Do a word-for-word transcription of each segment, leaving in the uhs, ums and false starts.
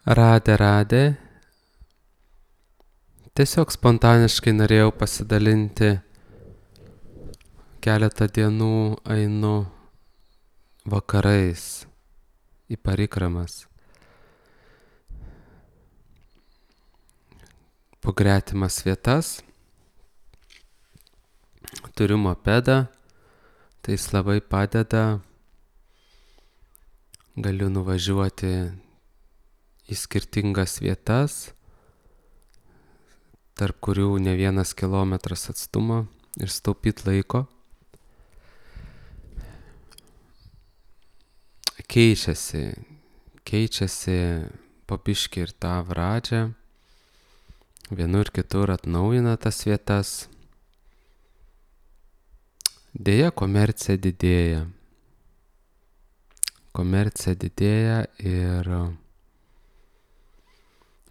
Radė, radė. Tiesiog spontaniškai norėjau pasidalinti. Keletą dienų einu vakarais į parikramas. Po gretimas vietas. Turiu mopedą, tai jis labai padeda. Galiu nuvažiuoti į skirtingas vietas, tarp kurių ne vienas kilometras atstumo ir staupyti laiko. Keičiasi, keičiasi po biškį ir tą pradžią. Vienur kitur atnaujina tas vietas. Deja, komercija didėja. Komercija didėja ir,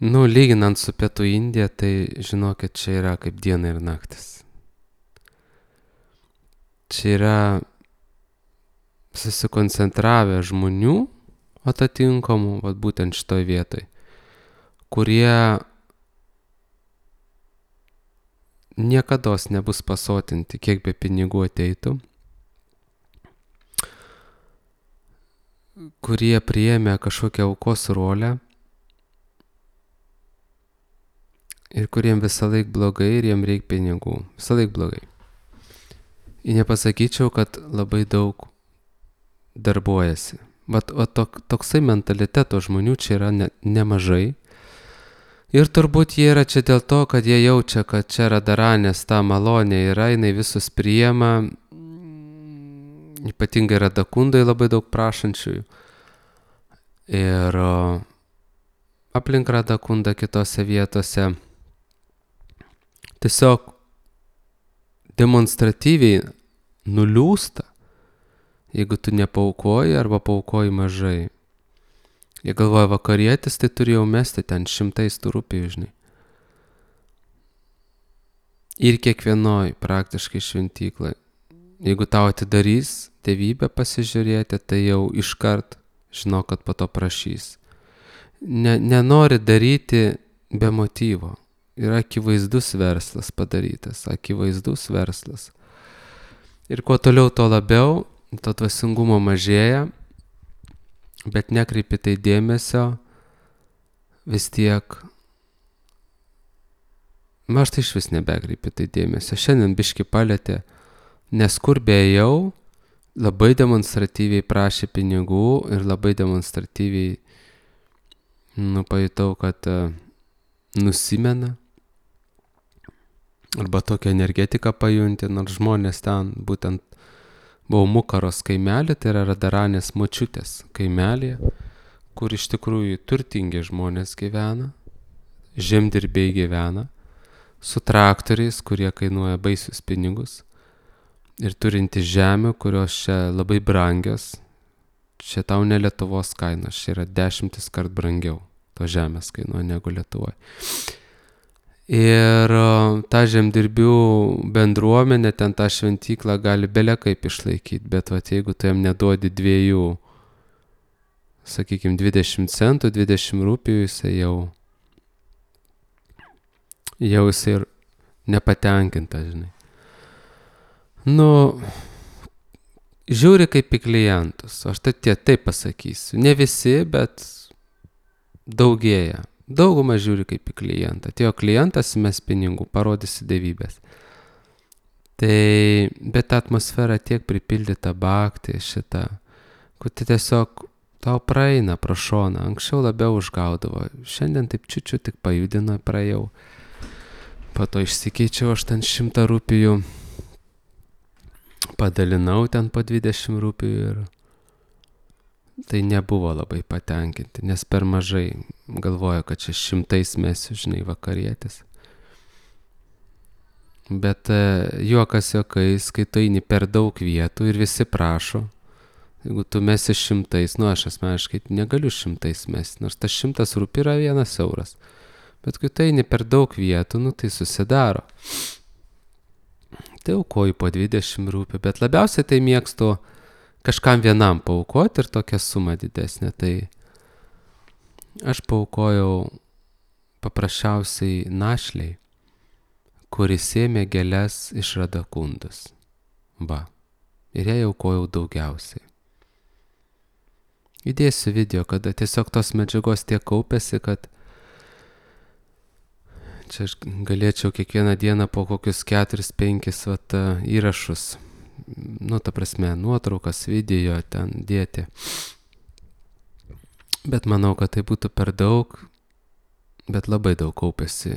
nu, lyginant su Pietų Indija, tai žinokit, čia yra kaip diena ir naktis. Čia yra susikoncentravę žmonių atitinkamų, vat būtent šitoj vietoj, kurie niekados nebus pasotinti, kiek be pinigų ateitų, kurie priėmė kažkokią aukos rolę ir kuriem visą laik blogai ir jiem reikia pinigų. Visą laik blogai. Ir nepasakyčiau, kad labai daug darbuojasi. Vat, vat tok, toksai mentaliteto žmonių čia yra ne, nemažai. Ir turbūt jie yra čia dėl to, kad jie jaučia, kad čia Radaranės ta malonė yra, jinai visus priema. Ypatingai Radakundai labai daug prašančiųjų. Ir aplink Radakundą kitose vietose tiesiog demonstratyviai nuliūsta, jeigu tu nepaukoji arba paukoji mažai. Jie galvoja, vakarietis, tai turėjau mesti ten šimtais tų rupijų, žinai. Ir kiekvienoj praktiškai šventyklai. Jeigu tau atidarys tėvybę pasižiūrėti, tai jau iškart žinok, kad po to prašys. Ne, nenori daryti be motyvo. Yra akivaizdus verslas padarytas, akivaizdus verslas. Ir kuo toliau, to labiau, to dvasingumo mažėja, bet nekreipi tai dėmesio, vis tiek, na, aš tai iš vis nebekreipi tai dėmesio. Šiandien biški palėtė, nes kur beėjau, labai demonstratyviai prašė pinigų ir labai demonstratyviai, nu, pajutau, kad uh, nusimena. Arba tokią energetiką pajunti, nors žmonės ten būtent buvo Mukaros kaimelė, tai yra Radaranės močiutės kaimelė, kur iš tikrųjų turtingi žmonės gyvena, žemdirbiai gyvena, su traktoriais, kurie kainuoja baisius pinigus ir turinti žemių, kurios čia labai brangios. Čia tau ne Lietuvos kainos, čia yra dešimtis kart brangiau to žemės kainuoja negu Lietuvoje. Ir ta žemdirbių bendruomenė, ten tą šventyklą gali belia kaip išlaikyti, bet vat, jeigu tu jam neduodi dviejų, sakykime, dvidešimt centų, dvidešimt rupijų, jisai jau, jau jisai ir nepatenkinta, žinai. Nu, žiūri kaip į klientus, aš tai tie taip pasakysiu, ne visi, bet daugėja. Dauguma žiūri kaip į klientą. Atėjo klientas, mes pinigų, parodysi dievybės. Tai, bet atmosfera tiek pripildyta bhakti šitą, kur tai tiesiog tau praeina pro šoną. Anksčiau labiau užgaudavo. Šiandien taip čiučiu tik pajudino, praėjau. Po to išsikeičiau aš ten šimtą rupijų. Padalinau ten po dvidešimt rupijų ir tai nebuvo labai patenkinti, nes per mažai galvojo, kad čia šimtais mesiu, žinai, vakarietis. Bet juokas juokais, kai tu eini per daug vietų ir visi prašo, jeigu tu mesi šimtais, nu aš asmeniškai negaliu šimtais mesti, nors tas šimtas rupijų yra vienas euras. Bet kai tu eini per daug vietų, nu tai susidaro. Tai aukoju po dvidešimt rupijų, bet labiausiai tai mėgstu kažkam vienam paaukoti ir tokią sumą didesnę. Tai Aš paaukojau paprasčiausiai našliai, kuris ėmė gėles iš Radakundos. Va. Ir jai aukojau daugiausiai. Įdėsiu video, kada tiesiog tos medžiagos tiek kaupėsi, kad čia aš galėčiau kiekvieną dieną po kokius keturis, penkis vat, įrašus, nu, ta prasme, nuotraukas, video ten dėti. Bet manau, kad tai būtų per daug, bet labai daug kaupėsi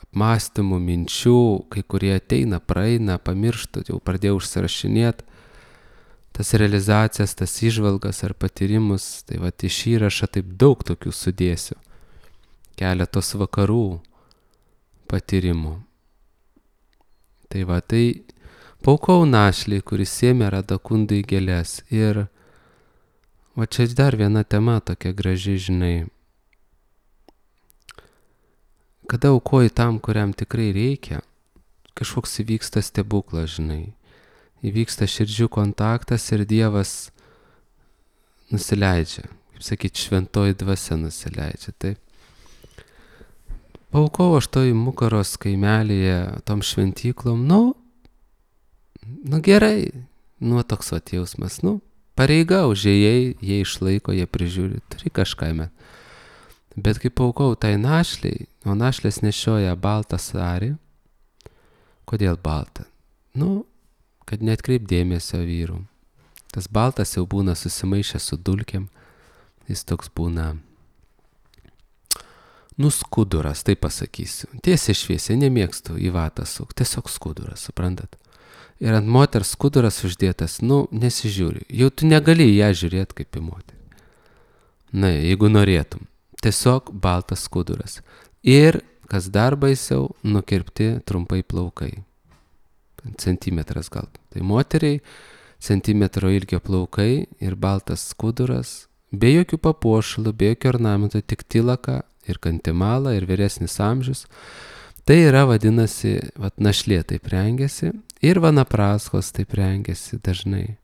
apmąstymų, minčių, kai kurie ateina, praeina, pamirštu, jau pradėjau užsirašinėti tas realizacijas, tas įžvalgas ar patyrimus, tai va iš įrašą taip daug tokių sudėsiu, keletos vakarų patyrimų. Tai va, tai paaukojau našliai, kuris ėmė Radakundai gėles. Ir va čia dar viena tema tokia graži, žinai. Kada aukoji tam, kuriam tikrai reikia, kažkoks įvyksta stebuklas, žinai. Įvyksta širdžių kontaktas ir Dievas nusileidžia. Kaip sakyt, šventoji dvasia nusileidžia. Taip. Paaukojau aš toj Mukaros kaimelyje tom šventyklom. Nu, nu gerai. Nu, toks vat jausmas. Nu, pareiga užėjai, jie išlaiko, jie prižiūri. Turi kažką met. Bet kai paaukojau tai našliai, o našlės nešioja baltą sarį. Kodėl baltą? Nu, kad neatkreip dėmesio vyrų. Tas baltas jau būna susimaišęs su dulkėm. Jis toks būna, nu, skuduras, taip pasakysiu. Tiesiai šviesiai, nemėgstu į vatą suk. Tiesiog skuduras, suprantat? Ir ant moters skuduras uždėtas, nu, nesižiūri. Jau tu negali ją žiūrėti kaip į moterį. Na, jeigu norėtum. Tiesiog baltas skuduras. Ir, kas dar baisiau, nukirpti trumpai plaukai. Centimetras gal. Tai moteriai centimetro ilgio plaukai ir baltas skuduras, be jokių papuošalų, be jokių ornamentų, tik tilaka ir kantimala ir vyresnis amžius. Tai yra, vadinasi, vat, našlė taip rengiasi ir vanapraskos taip rengiasi dažnai.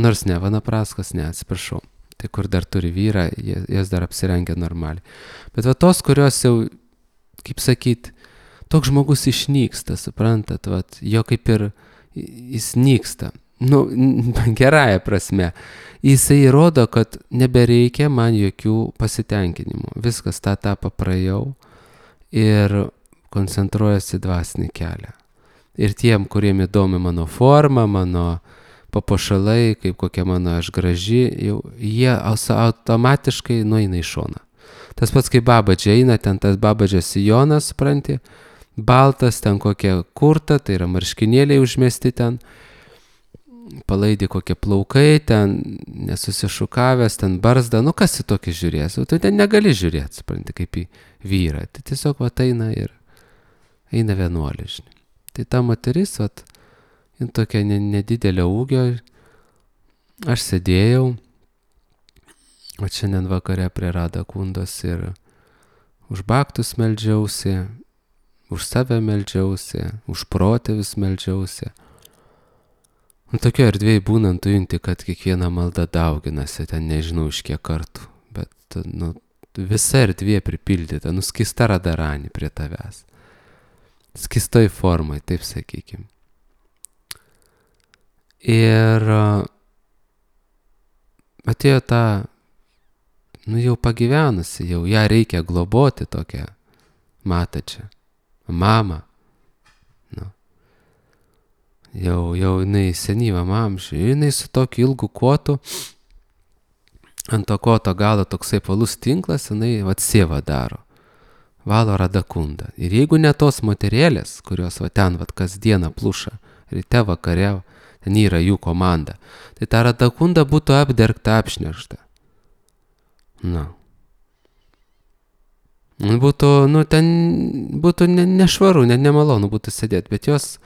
Nors ne, vanapraskos ne, atsiprašau. Tai kur dar turi vyrą, jas dar apsirengia normaliai. Bet va tos, kurios jau, kaip sakyt, toks žmogus išnyksta, suprantat, vat, jo kaip ir jis nyksta. Nu, gerąja prasme. Jisai įrodo, kad nebereikia man jokių pasitenkinimų. Viskas tą etapą praėjau ir koncentruojasi dvasinį kelią. Ir tiem, kuriem įdomi mano forma, mano papuošalai, kaip kokia mano aš graži, jau jie automatiškai nueina į šoną. Tas pats kaip babadžia eina, ten tas babadžio sijonas, supranti, baltas, ten kokia kurta, tai yra marškinėliai užmesti ten, palaidi kokie plaukai, ten nesusišukavęs, ten barzda, nu kas į tokį žiūrės, tu ten negali žiūrėti, supranti, kaip į vyrą, tai tiesiog vat eina ir eina vienuolė, žinai. Tai ta moteris, vat, jin tokia nedidelio ūgio, aš sėdėjau, o šiandien vakare prie Radakundos ir už baktus meldžiausi, už save meldžiausi, už protėvius meldžiausi. Nu, tokio erdvėj būnant, tu junti, kad kiekviena malda dauginasi, ten nežinau iš kiek kartų, bet nu, visa erdvė pripildyta, nu, skista radaranį prie tavęs. Skistoj formai, taip sakykim. Ir atėjo ta, nu, jau pagyvenusi, jau ją reikia globoti tokią matačią. Mama, nu, jau, jau jinai senyvam amžiui, jinai su tokiu ilgu kotu, ant to koto galo toksai palus tinklas, jinai vat sievą daro, valo Radakundą. Ir jeigu ne tos moterėlės, kurios va ten vat kasdieną pluša, ryte vakare, ten yra jų komanda, tai ta Radakunda būtų apdergta, apšnerkšta. Na. Būtų, nu, ten būtų ne, nešvaru, ne, nemalonu būtų sėdėti, bet jos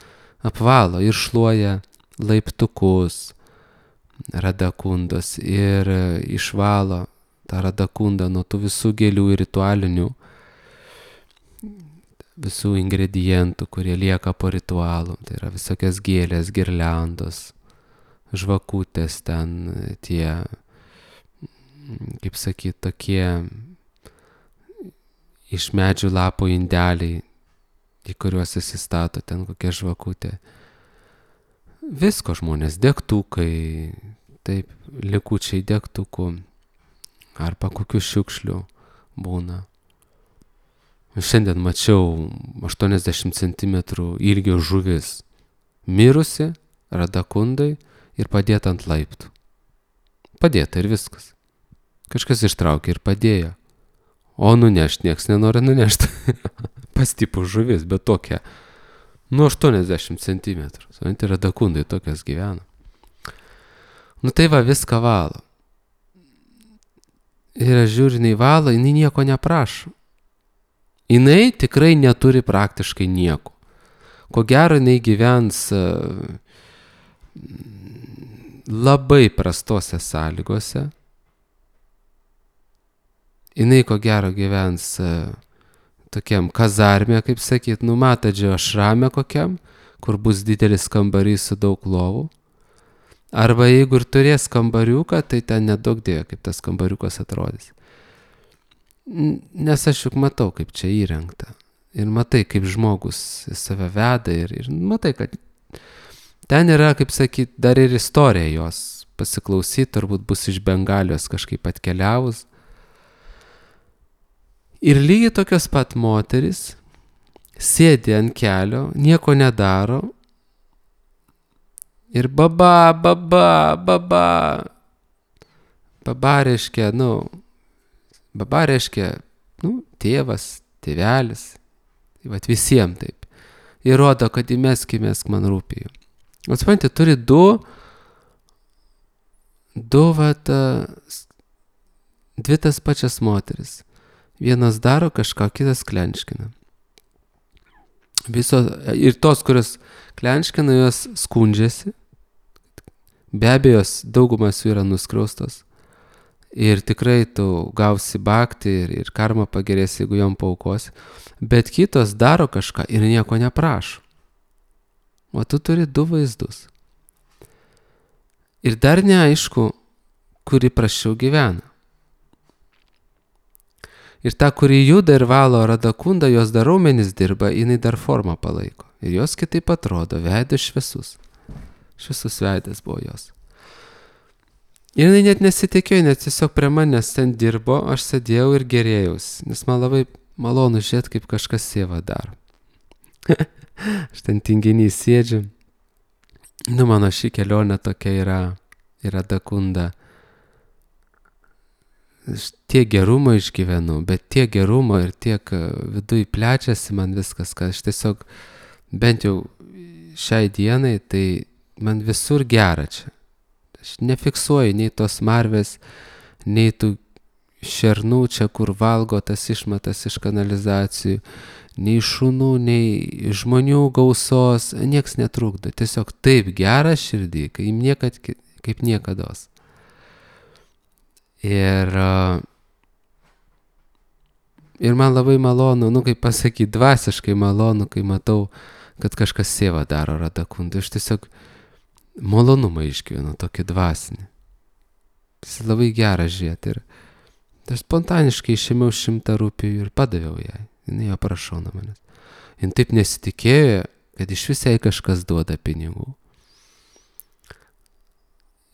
apvalo ir šluoja laiptukus Radakundos ir išvalo tą Radakundą nuo tų visų gėlių ir ritualinių, visų ingredientų, kurie lieka po ritualų. Tai yra visokios gėlės, girliandos, žvakutės ten, tie kaip sakyt, tokie iš medžių lapų indeliai, į kuriuos įsistato ten kokia žvakutė. Visko žmonės, degtukai, taip, likučiai degtukų, arba kokių šiukšlių būna. Šiandien mačiau aštuoniasdešimt centimetrų ilgio žuvis, mirusi, radakundai ir padėta ant laiptų. Padėta ir viskas. Kažkas ištraukė ir padėjo. O nunešt nieks nenori nunešti. Pastipų žuvis, bet tokia. Nu, aštuoniasdešimt centimetrų. Supranti, radakundai tokias gyvena. Nu tai va, viską valo. Ir aš žiūriu, jinai valo, jinai nieko neprašo. Jinai tikrai neturi praktiškai nieko. Ko gero, jinai gyvens uh, labai prastose sąlygose. Jinai ko gero gyvens uh, tokiam kazarme, kaip sakyt, numatadžio ašrame kokiam, kur bus didelis kambarys su daug lovų. Arba jeigu ir turės kambariuką, tai ten nedaug dėjo, kaip tas kambariukas atrodys. Nes aš juk matau, kaip čia įrengta. Ir matai, kaip žmogus save veda ir, ir matai, kad ten yra, kaip sakyt, dar ir istorija jos pasiklausyti, turbūt bus iš Bengalijos kažkaip atkeliavus. Ir lygiai tokios pat moteris sėdi ant kelio, nieko nedaro ir baba, baba, baba. Baba reiškia, nu, baba reiškia, nu, tėvas, tėvelis. Tai vat visiems taip. Įrodo, kad įmesk, įmesk man rūpėjo. O supranti, turi du, du, vat, dvi tas pačias moteris. Vienas daro kažką, kitas klenčkina. Viso, ir tos, kurios klenčkina, jos skundžiasi. Be abejo, daugumas jų yra nuskriaustos. Ir tikrai tu gausi bakti ir, ir karma pagerės, jeigu jom paukosi. Bet kitos daro kažką ir nieko neprašo. O tu turi du vaizdus. Ir dar neaišku, kuri praščiau gyvena. Ir ta, kuri juda ir valo radakunda, jos dar raumenis dirba, jinai dar formą palaiko. Ir jos kitaip atrodo, veidas šviesus. Šviesus veidas buvo jos. Ir jinai net nesitikėjo, net tiesiog prie manęs ten dirbo, aš sėdėjau ir gerėjausi, nes man labai malonu žiūrėti, kaip kažkas sėva daro. Aš ten tinginys sėdžiu. Nu, mano ši kelionė tokia yra, yra dakunda. Aš tiek gerumo išgyvenu, bet tiek gerumo ir tiek viduj plečiasi man viskas, kad aš tiesiog, bent jau šiai dienai, tai man visur gera čia. Aš nefiksuoju nei tos marvės, nei tų šernų čia, kur valgo tas išmatas iš kanalizacijų, nei šunų, nei žmonių gausos, nieks netrukdo. Tiesiog taip gera širdį, kaip, niekad, kaip niekados. Ir, ir man labai malonu, nu kaip pasakyti, dvasiškai malonu, kai matau, kad kažkas sėva daro radakundai. Aš tiesiog malonumą išgyvenu, tokį dvasinį. Tas labai gera žiūrėti. Ir aš spontaniškai išėmiau šimtą rupijų ir padaviau jai. Jis jo prašau nuo manęs. Jis taip nesitikėjo, kad iš vis jai kažkas duoda pinigų.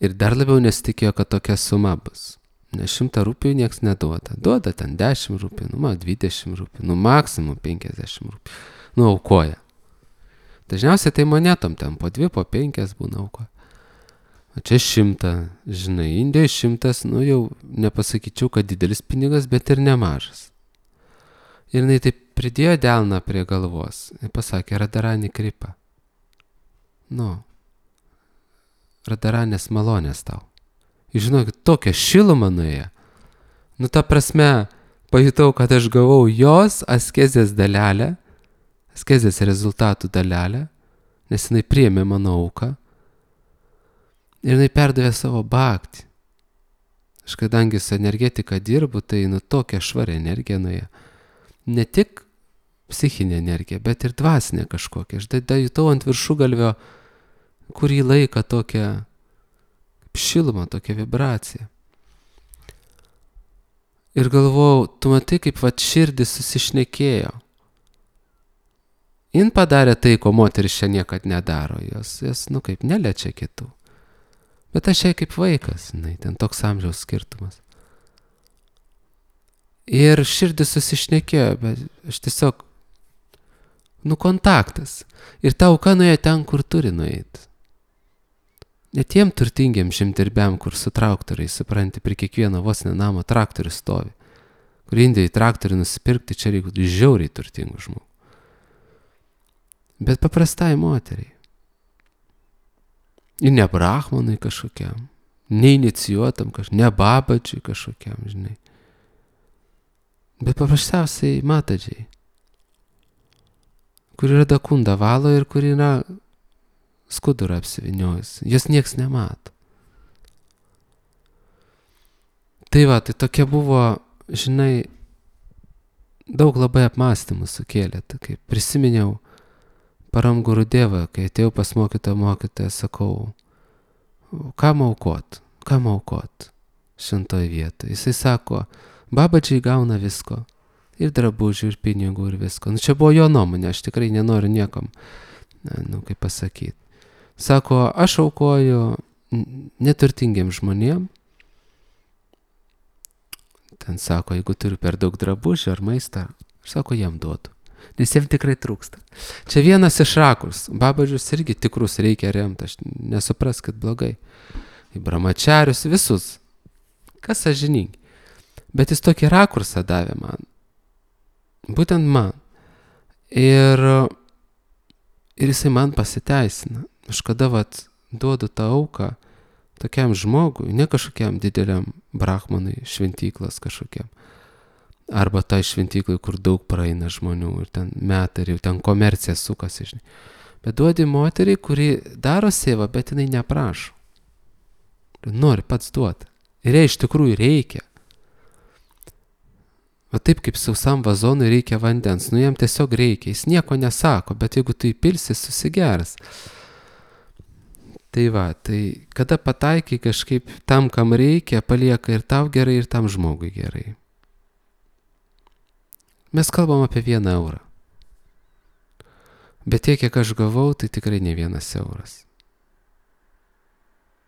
Ir dar labiau nesitikėjo, kad tokia suma bus. Nes šimtą rupijų nieks neduoda. Duoda ten dešimt rupijų, nu, man dvidešimt rupijų, nu, maksimum penkiasdešimt rupijų. Nu, aukoja. Dažniausiai tai monetom ten po dvi, po penkias būna aukoja. O čia šimtą, žinai, Indijoje šimtas, nu, jau nepasakyčiau, kad didelis pinigas, bet ir nemažas. Ir jinai taip pridėjo delną prie galvos ir pasakė, Radarani Kripa. Nu, Radaranės malonės tau. Ir žinokit, tokia šiluma nuėjo. Nu, ta prasme, pajutau, kad aš gavau jos askezės dalelę, askezės rezultatų dalelę, nes jinai priėmė mano auką. Ir jinai perdavė savo bhaktį. Aš kadangi su energetika dirbu, tai nu tokia švari energija nuėjo. Ne tik psichinė energija, bet ir dvasinė kažkokia. Aš da jutau ant viršugalvio kurį laiką tokią šilumą, tokią vibraciją. Ir galvojau, tu matai, kaip vat širdis susišnekėjo. Jin padarė tai, ko moteris čia niekad nedaro. Jos, jos nu kaip, neliečia kitų. Bet aš jai kaip vaikas, žinai, ten toks amžiaus skirtumas. Ir širdis susišnekėjo, bet aš tiesiog, nu kontaktas. Ir ta auka nuėjo ten, kur turi nueiti. Net tiem turtingiem žemdirbiam, kur su traktoriai, supranti, prie kiekvieno vos ne namo traktorius stovi. Kur Indijai traktorių nusipirkti, čia reikia žiauriai turtingų žmonių. Bet paprastai moteriai. Ir ne brahmanui kažkokiam, neinicijuotam kažkokiam, ne babadžiui kažkokiam, žinai. Bet paprasčiausiai matadžiai, kur yra dakunda valo ir kur yra skudurą apsiviniojus. Jos nieks nemato. Tai va, tai tokia buvo, žinai, daug labai apmąstymų sukėlė. Tai kaip prisiminiau Param Gurudevą, kai atėjau pas mokytoją mokytoją, sakau, kam aukot, kam aukot šventoje vietoje. Jisai sako, babadžiai gauna visko, ir drabužių, ir pinigų, ir visko. Nu, čia buvo jo nuomonė, aš tikrai nenoriu niekam, nu, kaip pasakyti. Sako, aš aukoju neturtingiem žmonėm. Ten sako, jeigu turiu per daug drabužių ar maistą, aš sako, jiem duodu. Nes jiem tikrai trūksta. Čia vienas iš rakurs. Babadžius irgi tikrus reikia remti, aš nesupras, kad blogai. Į brahmačarius, visus. Kas sąžiningi. Bet jis tokį rakursą davė man. Būtent man. Ir, ir jisai man pasiteisina. Aš kada vat duodu tą auką tokiam žmogui, ne kažkokiam dideliam brahmanui, šventyklas kažkokiam. Arba tai šventyklai, kur daug praeina žmonių ir ten metai, ir jau ten komercija sukasi, žinai. Bet duodi moteriai, kuri daro sėvą, bet jinai neprašo. Nori pats duoti. Ir jai iš tikrųjų reikia. O taip kaip sausam vazonui reikia vandens, nu jam tiesiog reikia, jis nieko nesako, bet jeigu tu įpilsi, susigers. Tai va, tai kada pataikai kažkaip tam, kam reikia, palieka ir tau gerai, ir tam žmogui gerai. Mes kalbam apie vieną eurą. Bet tiek, kiek aš gavau, tai tikrai ne vienas euras.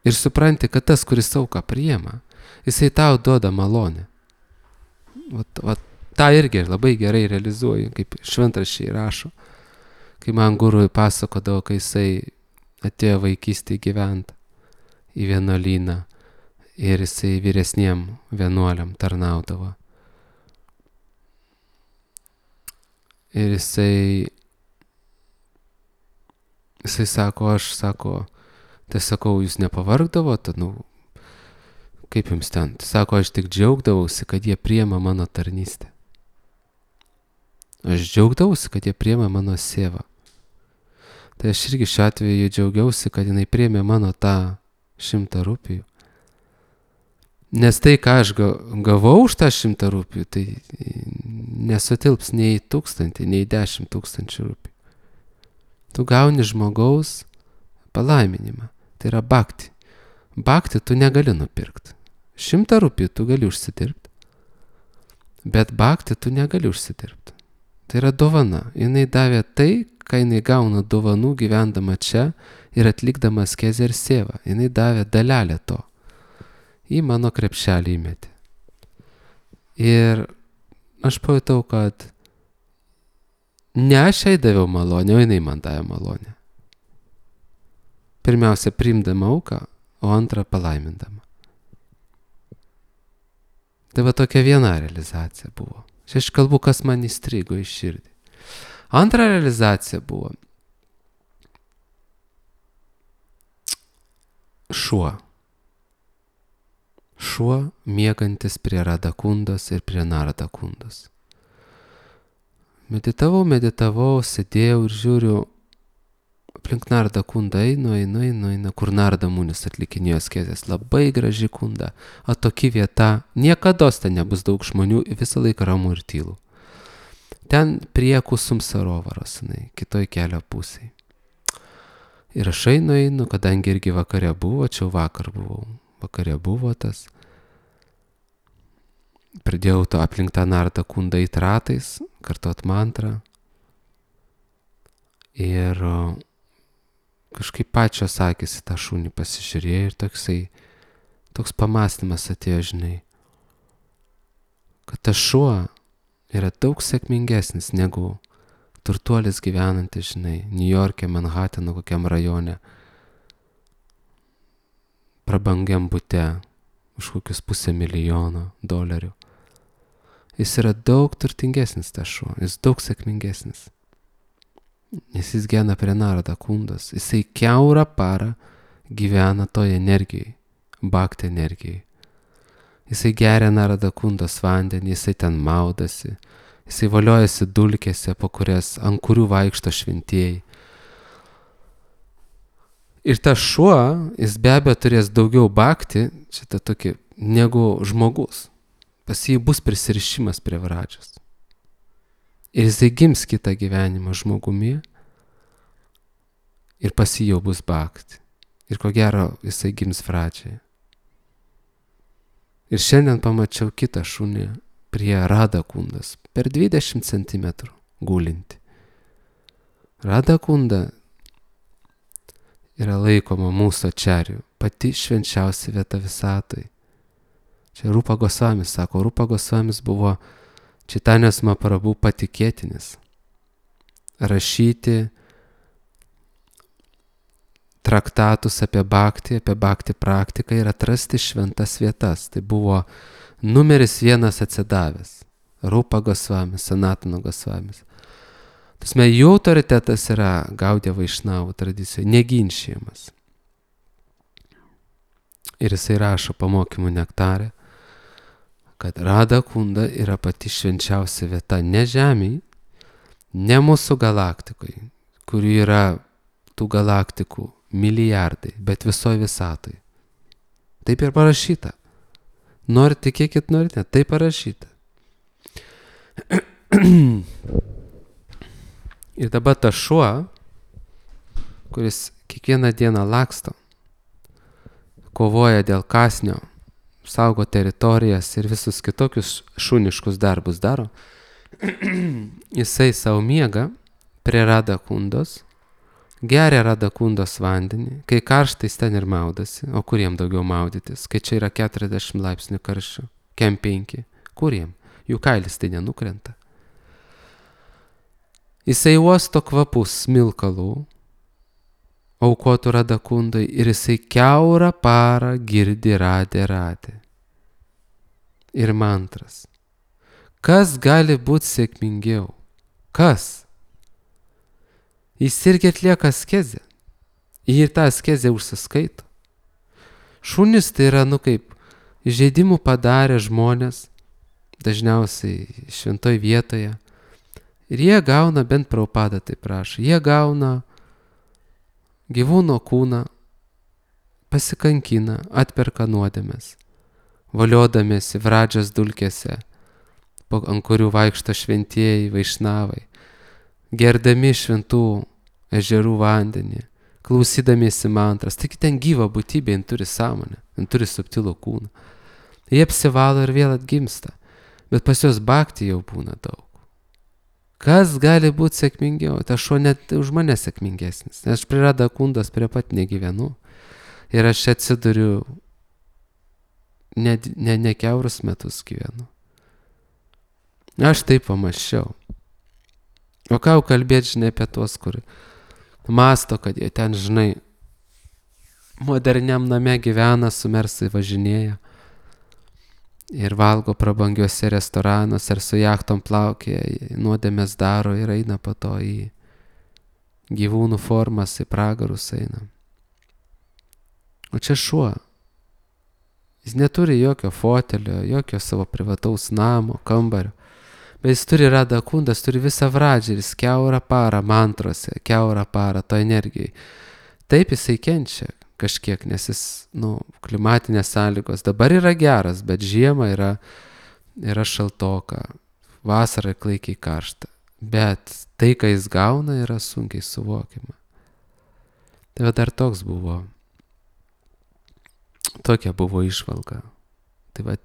Ir supranti, kad tas, kuris auką priima, jisai tau duoda malonę. Vat, vat, tą irgi labai gerai realizuoju, kaip šventraščiai rašo. Kai man gurui pasakodavo, kai jisai atėjo vaikystėje gyventi į vienuolyną ir jisai vyresniem vienuoliam tarnaudavo. Ir jisai, jisai sako, aš sako, tai sakau, jūs nepavargdavot, nu, kaip jums ten? Tai sako, aš tik džiaugdavausi, kad jie priema mano tarnystę. Aš džiaugdavausi, kad jie priema mano sėvą. Tai aš irgi šiuo atveju džiaugiausi, kad jinai priėmė mano tą šimtą rupijų. Nes tai, ką aš gavau už tą šimtą rupijų, tai nesutilps nei tūkstantį, nei dešimt tūkstančių rupijų. Tu gauni žmogaus palaiminimą. Tai yra bhakti. Bhakti tu negali nupirkti. Šimtą rupijų tu gali užsidirbti. Bet bhakti tu negali užsidirbti. Tai yra dovana. Jinai davė tai, ką jinai gauna dovanų gyvendama čia ir atlikdama askezę ir sėvą. Jinai davė dalelę to. Į mano krepšelį įmetė. Ir aš pajutau, kad ne aš jai daviau malonę, o jinai man davė malonę. Pirmiausia, priimdama auką, o antrą palaimindama. Tai va tokia viena realizacija buvo. Čia aš kalbu, kas man įstrigo į širdį. Antra realizacija buvo šuo. Šuo miegantis prie Radakundos ir prie Naradakundos. Meditavau, meditavau, sėdėjau ir žiūriu, aplink Naradakundą einu, einu, einu, einu, kur Narada Munis atlikinėjo askezes. Labai graži kunda, atoki vieta, niekados ten nebus daug žmonių, visą laiką ramu ir tylu. Ten prie Kusum Sarovaros, kitoj kelio pusėje. Ir aš einu, einu, kadangi irgi vakare buvo, čia vakar buvau. Vakare buvo tas. pradėjau to aplink tą nardą kundą eit ratais, kartot mantrą. Ir kažkaip pačios akys į tą šunį pasižiūrėjo ir toksai, toks pamąstymas atėjo, žinai, kad tas šuo yra daug sėkmingesnis negu turtuolis gyvenantis, žinai, Niujorke, Manhatano kokiam rajone, prabangiam bute už kokius pusę milijono dolerių. Jis yra daug turtingesnis tas šuo, jis daug sėkmingesnis. Nes jis gyvena prie narada kundos, jisai kiaurą parą gyvena toje energijai, bhakti energijai. Jisai geria narada kundos vandenį, jisai ten maudasi, jisai voliojasi dulkėse, po kurias, ant kurių vaikšto šventieji. Ir tas šuo, jis be abejo turės daugiau bhakti, šitą tokį, negu žmogus. Pas jį bus prisirišimas prie vradžios. Ir jisai gims kitą gyvenimą žmogumi ir pas jį jau bus bhakti. Ir ko gero jisai gims vradžiai. Ir šiandien pamačiau kitą šunį prie Rada kundas, per dvidešimt centimetrų gulinti. Rada kunda yra laikoma mūsų ačarių, pati švenčiausia vieta visatoj. Čia Rupa Gosvamis sako, Rupa Gosvamis buvo Čaitanijos Mahaprabhu patikėtinis. Rašyti traktatus apie bhakti, apie bhakti praktiką ir atrasti šventas vietas. Tai buvo numeris vienas atsidavęs. Rupa Gosvamis, Sanatana Gosvamis. Tasme, jų autoritetas yra Gaudija Vaišnavų tradicijoje, neginčiamas. Ir jisai rašo pamokymų nektarė, kad Rada kunda yra pati švenčiausia vieta ne žemėj, ne mūsų galaktikoj, kurių yra tų galaktikų milijardai, bet visoje visatoj. Taip ir parašyta. Norit tikėkit, norit, ne, taip parašyta. Ir dabar tas šuo, kuris kiekvieną dieną laksto, kovoja dėl kąsnio, saugo teritorijas ir visus kitokius šuniškus darbus daro, jisai savo miega prie Rada kundos, geria Rada kundos vandenį, kai karštais ten ir maudasi, o kuriem daugiau maudytis, kai čia yra keturiasdešimt laipsnių karščio, kem penki, kuriem, jų kailis tai nenukrenta. Jisai uosto kvapus smilkalų, aukotų Rada kundai ir jisai kiaurą parą girdi radė radė. Ir mantras. Kas gali būti sėkmingiau? Kas? Jis irgi atlieka askezę. Ir tą askezę užsiskaito. Šunis tai yra, nu kaip, žaidimų padarę žmonės, dažniausiai šventoj vietoje. Ir jie gauna, bent Prabhupada tai prašo, jie gauna gyvūno kūną, pasikankina, atperka nuodėmes, valiodamėsi vradžios dulkėse, ant kurių vaikšto šventieji vaišnavai, gerdami šventų ežerų vandenį, klausydamiesi mantras. Taigi ten gyva būtybė, jin turi sąmonę, jin turi subtilų kūną. Jie apsivalo ir vėl atgimsta, bet pas juos bhakti jau būna daug. Kas gali būti sėkmingiau? Ta šuo net už mane sėkmingesnis. Nes aš prie Rada kundos prie pat negyvenu. Ir aš atsiduriu ne, ne, ne kiaurus metus gyvenu. Aš taip pamaščiau. O ką kalbėti, žinai, apie tuos, kur masto, kad jie ten, žinai, moderniam name gyvena, su mersai važinėja. Ir valgo prabangiuose restoranuose ir su jachtom plaukėja, nuodėmės daro ir eina po to į gyvūnų formas, į pragarus eina. O čia šuo. Jis neturi jokio fotelio, jokio savo privataus namo, kambario. Bet jis turi Rada kundas, turi visą vradžią ir jis kiaurą parą mantrose, kiaurą parą to energijai. Taip jisai kenčia kažkiek, nes jis, nu, klimatinės sąlygos dabar yra geras, bet žiemą yra, yra šaltoka, vasara klaikiai karšta. Bet tai, ką jis gauna, yra sunkiai suvokiama. Tai va dar toks buvo, tokia buvo išvalga. Tai va,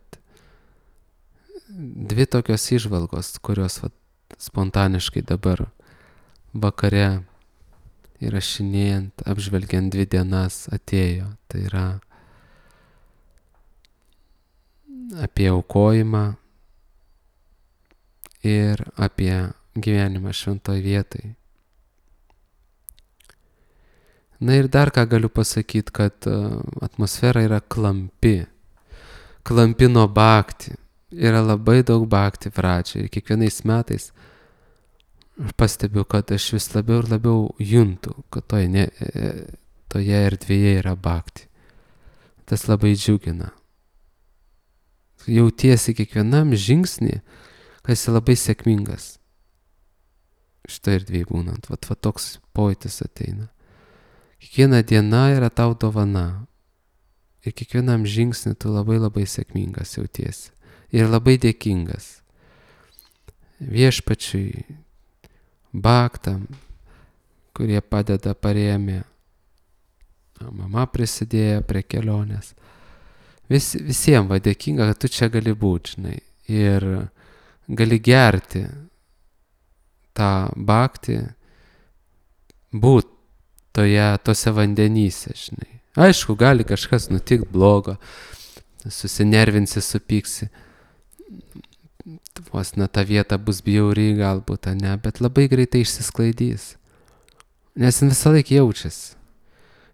dvi tokios įžvalgos, kurios vat, spontaniškai dabar vakare įrašinėjant, apžvelgiant dvi dienas atėjo. Tai yra apie aukojimą ir apie gyvenimą šventoj vietoj. Na ir dar ką galiu pasakyti, kad atmosfera yra klampi. Klampi nuo bhakti. Yra labai daug bhakti pradžiai. Ir kiekvienais metais aš pastebiu, kad aš vis labiau ir labiau juntu, kad toje, ne, toje erdvėje yra bhakti. Tas labai džiugina. Jautiesi kiekvienam žingsnį, kad esi labai sėkmingas. Šitą erdvėje būnant. Vat, vat toks pojūtis ateina. Kiekviena diena yra tau dovana. Ir kiekvienam žingsnį tu labai labai sėkmingas jautiesi. Ir labai dėkingas. Viešpačiui, bhaktam, kurie padeda, parėmė. Mama prisidėjo prie kelionės. Vis, visiems va dėkinga, kad tu čia gali būti, žinai. Ir gali gerti tą bhaktį, būt toje, tose vandenyse, žinai. Aišku, gali kažkas nutikti blogo, susinervinsi, supyksi. Vos ne ta vieta bus bjauri galbūt, ne, bet labai greitai išsisklaidys. Nes jis visą laiką jaučiasi.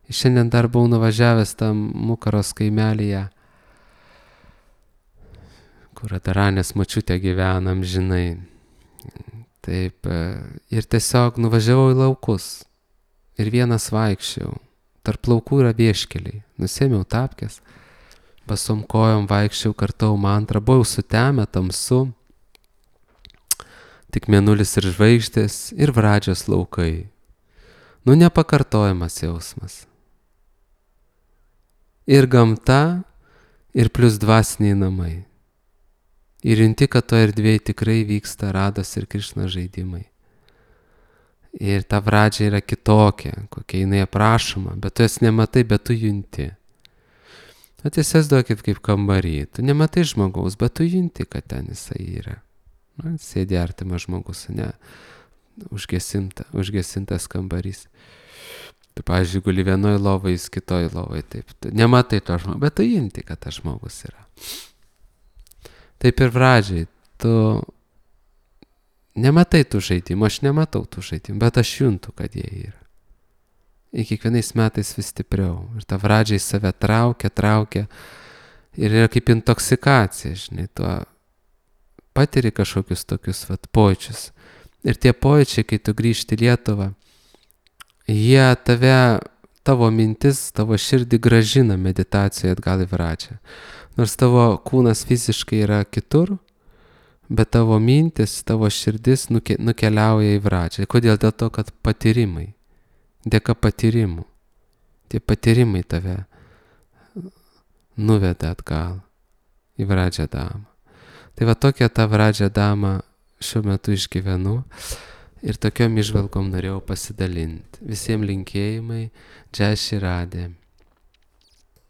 Šiandien dar buvau nuvažiavęs tam Mukaros kaimelyje, kur Adaranės močiutė gyvenam, žinai. Taip, ir tiesiog nuvažiavau į laukus. Ir vienas vaikščiau. Tarp laukų yra vieškeliai. Nusėmiau tapkes. Basom kojom vaikščiau, kartau mantrą. Buvau sutemę, tamsu. Tik mėnulis ir žvaigždės ir Vradžios laukai. Nu, nepakartojamas jausmas. Ir gamta, ir plus dvasiniai namai. Ir junti, kad to erdvėje tikrai vyksta Rados ir Krišnos žaidimai. Ir ta Vradžia yra kitokia, kokia jinai aprašoma, bet tu jas nematai, bet tu junti. Tu tiesiog duokit kaip kambarį. Tu nematai žmogaus, bet tu junti, kad ten jisai yra. Na, sėdi artimas žmogus, ne, užgesinta, užgesintas kambarys. Tu, pavyzdžiui, guli vienoj lovai, jis kitoj lovai, taip. Tu nematai to žmogus, bet tu junti, kad tas žmogus yra. Taip ir Vradžiai, tu nematai tų žaidimų, aš nematau tų žaidimų, bet aš juntu, kad jie yra. Ir kiekvienais metais vis stipriau. Ir ta Vradžiai save traukia, traukia. Ir yra kaip intoksikacija, žinai, tuo patiri kažkokius tokius vat, pojūčius. Ir tie pojūčiai, kai tu grįžti į Lietuvą, jie tave, tavo mintis, tavo širdį gražina meditacijoje atgal į Vradžią. Nors tavo kūnas fiziškai yra kitur, bet tavo mintis, tavo širdis nuke, nukeliauja į Vradžią. Kodėl? Dėl to, kad patyrimai, dėka patyrimų, tie patyrimai tave nuveda atgal į Vradžią damą. Tai va tokia ta Vradžia dama šiuo metu išgyvenu ir tokiom įžvalgom norėjau pasidalinti. Visiems linkėjimai, Džai Šri Radė.